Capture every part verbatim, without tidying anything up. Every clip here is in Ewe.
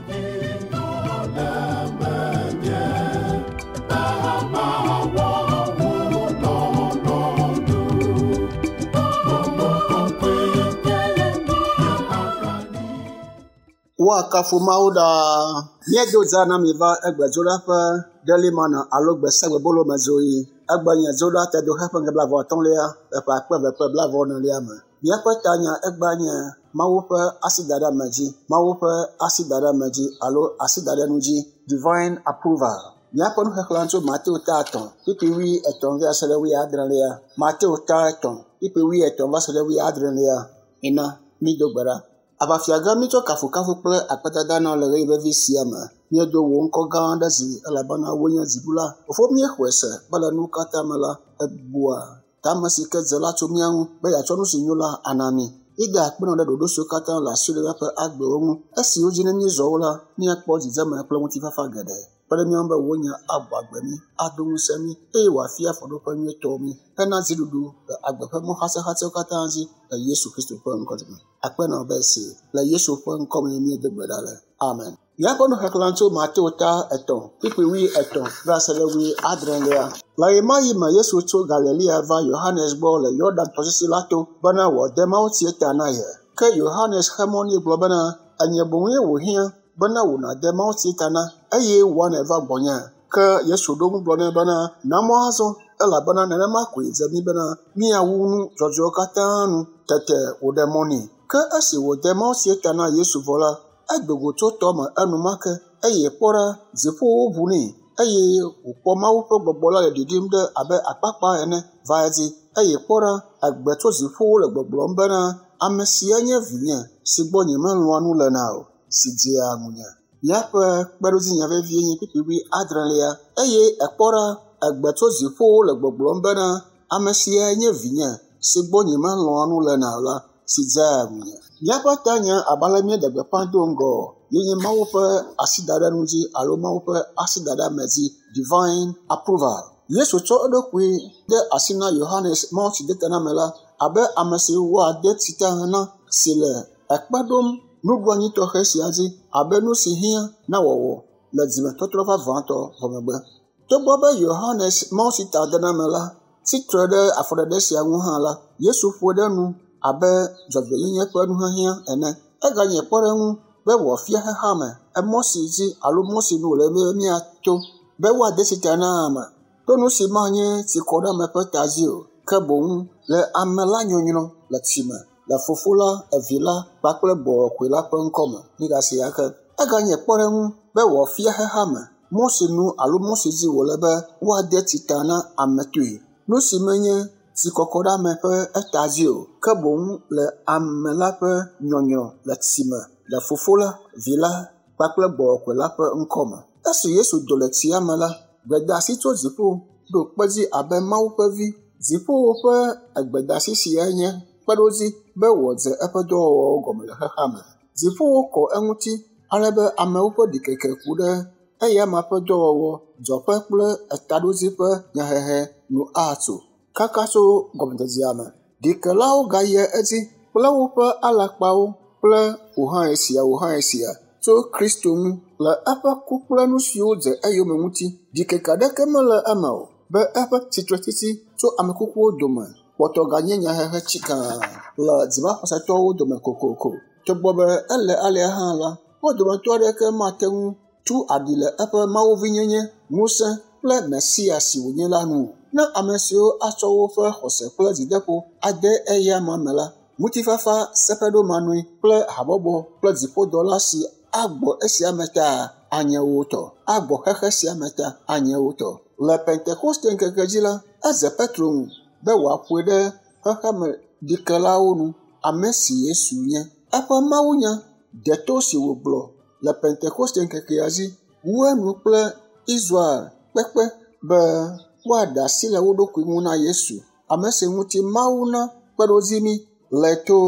Woakafu Mawu ɖaa. Míedo dza na mi va egbe dzoɖa ƒe Daily Manna alo gbesiagbebolo me dzoɣi. Egbe nye dzoɖa tedoxe ƒe ŋkeke blaeve atɔ̃lia le ƒe akpe eve kple blaeve enelia me. Míaƒe tanya egbea nye Mawu ƒe asidaɖeame dzi. Mawu ƒe asidaɖeame dzi alo asidaɖenu dzi. Divine approval. Míaƒe nuxexlẽ tso Mateo ta etɔ̃, kpukpui wui etɔ̃ va se ɖe wui adrelia. Mateo ta etɔ̃, kpukpui wui etɔ̃ va se ɖe wui adrelia. Ina mído gbe ɖa. Aʋafia gã míetsɔ kafukafu kple akpedada na le ɣeyiɣi vevi sia me. Míedo wò ŋkɔ gã ɖe dzi elabena wòe nye dziɖula. Fofo míexɔe se be le nuwo katã me la, èbua tame si ke dze la tso mía ŋu be yeatsɔ nu si nyo la ana mí. Míeda akpe nɔ ɖe ɖoɖo siwo katã le asiwò ɖe míaƒe agbewo ŋu. Esiwo dzi ne míezɔ wo la, míakpɔ dzidzeme kple ŋutifafa geɖe. Kpe ɖe mía ŋu be wò nya agbɔ agbe mí, ado ŋusẽ mí eye wòafia afɔɖoƒe nyuietɔ mí hena dziɖuɖu le agbe ƒe mɔ xatsɛxatsɛwo katã dzi le Yesu Kristo ƒe ŋkɔ me. Akpe nɔ be esi le Yesu ƒe ŋkɔ me míedo gbe ɖa le. Amen. Míaƒe nuxexlẽ tso Mateo ta etɔ̃, kpukpui wui etɔ̃ va se ɖe wui adrelia. Le ɣemaɣi me Yesu tso Galilea va Yohanes gbɔ le Yɔdan tɔsisi la to bena wòade mawutsi ta na ye. Ke Yohanes xe mɔ nɛ gblɔ bena, enye boŋue wòhiã bena wò nàde mawutsi ta na eye wòa nèva gbɔnye. Ke Yesu ɖo eŋu gblɔ nɛ bena, na mɔ azɔ elabena nenema koe dze mí bena míawu nu dzɔdzɔewo katã nu. Tete wòɖe mɔ nɛ. Ke esi wòde mawutsi ta na Yesu vɔ la, edo go tso tɔ me enumake eye kpɔ ɖa, dziƒowo ʋu nɛ eye wòkpɔ Mawu ƒe gbɔgbɔ la le ɖiɖim ɖe abe akpakpa ene va edzi. Eye kpɔ ɖa, egbe tso dziƒowo le gbɔgblɔm bena, ame sia nye vinye si gbɔ nyemelɔ̃a nu lena o, si dzea ŋunye. Míaƒe kpeɖodzinya vevie nye kpukpui wui adrelia. Eye ekpɔ ɖa, egbe tso dziƒowo le gbɔgblɔm bena, ame sia nye vinye si gbɔ nyemelɔ̃a nu lena o la, si dzea ŋunye. Míaƒe tanya abe ale míeɖe gbeƒã do ŋgɔ ye nye Mawu ƒe asidaɖenu dzi alo Mawu ƒe asidaɖeame dzi, divine approval. Yesu tsɔ eɖokui de asi na Yohanes Mawutsidetanamela abe ame si woade tsi ta na si le ekpe ɖom nuɖoanyi tɔxɛ sia dzi abe nu si hiã na wɔwɔ le dzimetɔtrɔ vavãtɔ vɔ megbe. Togbɔ be Yohanes Mawutsitadenamela tsi tre ɖe afɔɖeɖe sia ŋu hã la, Yesu ƒoe ɖe nu abe dzɔdzɔenyenye ƒe nuhiahiã ene. Eganye kpɔɖeŋu be wòafia xexeame emɔ si dzi alo mɔ si nu wòle be míato be woade tsi ta na ame to nu si manye tsikɔɖeame ƒe ta dzi o, ke boŋ le ame la nyɔnyrɔ le tsi me le Fofo la, Evi la kpakple Gbɔgbɔ Kɔkɔe la ƒe ŋkɔ me. Mígasi ake. Eganye kpɔɖeŋu be wòafia xexeame mɔ si nu alo mɔ si dzi wòle be woade tsi ta na ame toe. Nu si menye tsikɔkɔɖeame ƒe eta dzi o, ke boŋ le ame la ƒe nyɔnyrɔ le tsi me le Fofo la, Vi la kpakple Gbɔgbɔ Kɔkɔe la ƒe ŋkɔ me. Esi Yesu do le tsia me la, gbedeasi tso dziƒo ɖo kpe dzi abe Mawu ƒe vi. Dziƒowo ƒe egbedeasi siae nye kpeɖodzi be wòdze eƒe dɔwɔwɔwo gɔme le xexea me. Dziƒowo kɔ eŋuti ale be amewo ƒe ɖikeke ku ɖe eyama ƒe dɔwɔwɔ, dzɔƒe kple etaɖodzi ƒe nyahehe nu atso kaka tso gɔmedzedzea me. Ɖikelawo gayia edzi kple woƒe alakpawo kple wò hã esia, wò hã esia tso Kristo ŋu le eƒe ku kple nu siwo dze eyome ŋuti. Ɖikeke aɖeke mele eme o be eƒe tsitretsitsi tso ame kukuwo dome kpɔtɔ ganye nyahehe tsikaa le dzimaxɔsetɔwo dome kokoko. Togbɔ be ele alea hã la, wo dometɔ aɖeke mate ŋu tu aɖi le eƒe mawuvinyenye, ŋusẽ kple Mesia si wònye la nu. Ne ame siwo atsɔ woƒe xɔse kple dzideƒo ade eyama me la, ŋutifafa seƒeɖomanɔe kple habɔbɔ kple dziƒodɔla si agbɔ esia me ta anye wo tɔ. Agbɔ xexe sia me ta anye wo tɔ. Le Pentekoste ŋkeke dzi la, eze Petro ŋu be wòaƒoe ɖe xexeme ɖikelawo nu ame si Yesu nye. Eƒe mawunya deto si wògblɔ le Pentekoste ŋkekea dzi wu enu kple Israel kpekpe be woaɖe asi le wo ɖokui ŋu na Yesu, ame si ŋuti Mawu na kpeɖodzi mí le to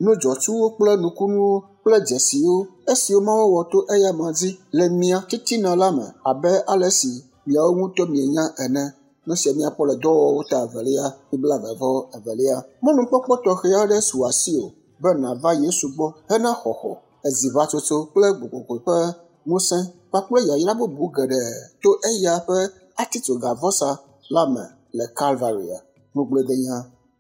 nudzɔtsuwo kple nukunuwo kple dzesiwo esiwo Mawu wɔ to eyama dzi le mia titina la me abe ale si miawo ŋutɔ mienya ene. Nu sia míakpɔ le dɔwɔwɔwo ta evelia, blaeve vɔ evelia. Mɔnukpɔkpɔ tɔxɛ aɖe su asiwò be nàva Yesu gbɔ hena xɔxɔ Eziʋatsotso kple gbɔgbɔ ƒe ŋusẽ kpakple yayra bubu geɖe to eya ƒe atitsogavɔsa la me le Kalvaria. Ŋugbledenya.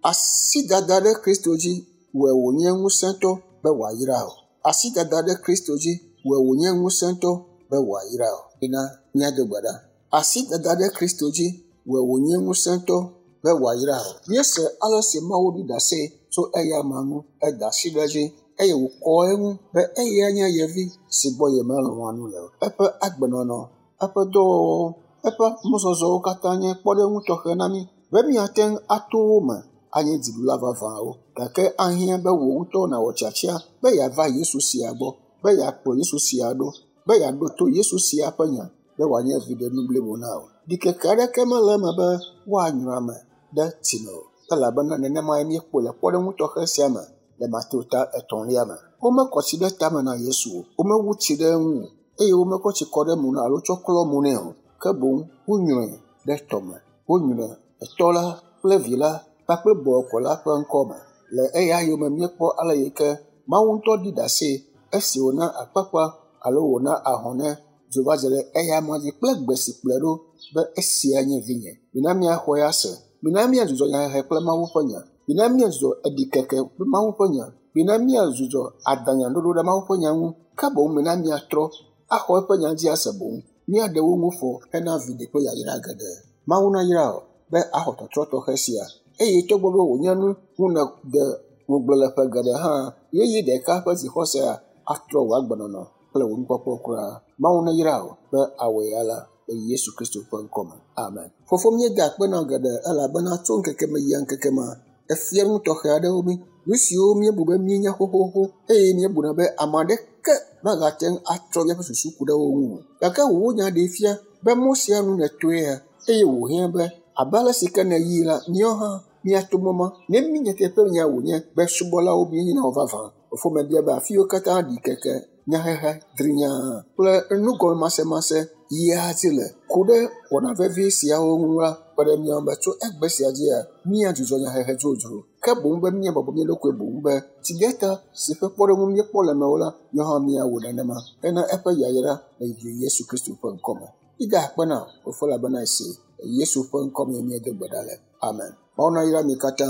Asidada ɖe Kristo dzi wɔe wònye ŋusẽtɔ be wòayra o. Asidada ɖe Kristo dzi wɔe wònye ŋusẽtɔ be wòayra o. Ina míado gbe ɖa. Asidada ɖe Kristo dzi wɔe wònye ŋusẽtɔ be wòayra o. Míese ale si Mawu ɖi ɖase tso eya amea ŋu, eda asi ɖe edzi eye wòkɔ eŋu be eya nye ye vi si gbɔ yemelɔ̃a nu le o. Eƒe agbenɔnɔ, eƒe dɔwɔwɔwo, eƒe mɔzɔzɔwo katã nye kpɔɖeŋu tɔxɛ na mí be míate ŋu ato wo me anye dziɖula vavãwo. Gake ahiã be wò ŋutɔ nàwɔ tiatia be yeava Yesu sia gbɔ, be yeakplɔ Yesu sia ɖo, be yeaɖo to Yesu sia ƒe nya be wòanye viɖenu blibo na wò. Ɖikeke aɖeke mele eme be woanyrɔ ame ɖe tsi me o, elabena nenemae míekpɔe le kpɔɖeŋu tɔxɛ sia me le Mateo ta etɔ̃lia me. Womekɔ tsi ɖe tame na Yesu o, womewu tsi ɖe eŋu o, eye womekɔ tsi kɔ ɖe mo nɛ alo tsɔ klɔ mo nɛ o. Ke boŋ wonyrɔe ɖe tɔme. Wonyrɔe Etɔ la kple Vi la kpakple Gbɔgbɔ la ƒe ŋkɔ me. Le eya yome míekpɔ ale yi ke Mawu ŋutɔ ɖi ɖase esi wòna akpakpa alo wòna ahɔnɛ dzo va dze ɖe eya amea dzi kple gbe si kplɔe ɖo be esia nye vinye. Mina míaxɔe ase. Mina míadzudzɔ nyahehe kple Mawu ƒe nya. Mina míadzudzɔ eɖikeke kple Mawu ƒe nya. Mina míadzudzɔ adanyaɖoɖo ɖe Mawu ƒe nya ŋu. Ke boŋ mina míatrɔ axɔ eƒe nya dzi ase boŋ. Míaɖe wo ŋu fɔ hena viɖe kple yayra geɖe. Mawu nayra wò be axɔ tɔtrɔ tɔxɛ sia eye togbɔ be wònye nu ŋu nède ŋugble le ƒe geɖe hã, ɣeyiɣi ɖeka ƒe dzixɔsea atrɔ wò agbenɔnɔ kple wò nukpɔkpɔ kura. Mawu neyra wò be awɔe alea le Yesu Kristo ƒe ŋkɔme. Amen. Fofo, míeda akpe na wò geɖe elabena tso ŋkeke me yia ŋkeke me, efia nu tɔxɛ aɖewo mí. Nu siwo míebu be míenya xoxoxo eye míebuna be ame aɖeke magate ŋu atrɔ míaƒe susu ku ɖe wo ŋu o. Gake wò nya ɖee fia be mɔ sia nu nètoea eye wòhiã be abe ale si ke nèyii la, míawo hã míato mɔ ma. Ne mí nyateƒe nya wònye be subɔlawo míenye na wò vavã. Fofo, mebia be afi yiwo katã ɖikeke, nyahehe, drinyaa kple nugɔmemasemase yia dzi le ku ɖe wɔna vevi siawo ŋu la, kpe ɖe mía ŋu be tso egbe sia dzia, míadzudzɔ nyahehe dzodzro. Ke boŋ be míabɔbɔ mía ɖokui boŋ be tsideta si ƒe kpɔɖeŋu míekpɔ le mewò la, míawo hã míawɔ nenema hena eƒe yayra le Yesu Kristo ƒe ŋkɔme. Mída akpe na wò, Fofo, elabena esi le Yesu ƒe ŋkɔme míedo gbe ɖa le. Amen. Mawu nayra mi katã.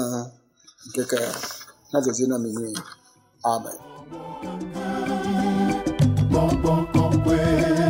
Ŋkeke nadzɔ dzi na mi nyuie. Amen. Gbɔgbɔ kɔkɔe.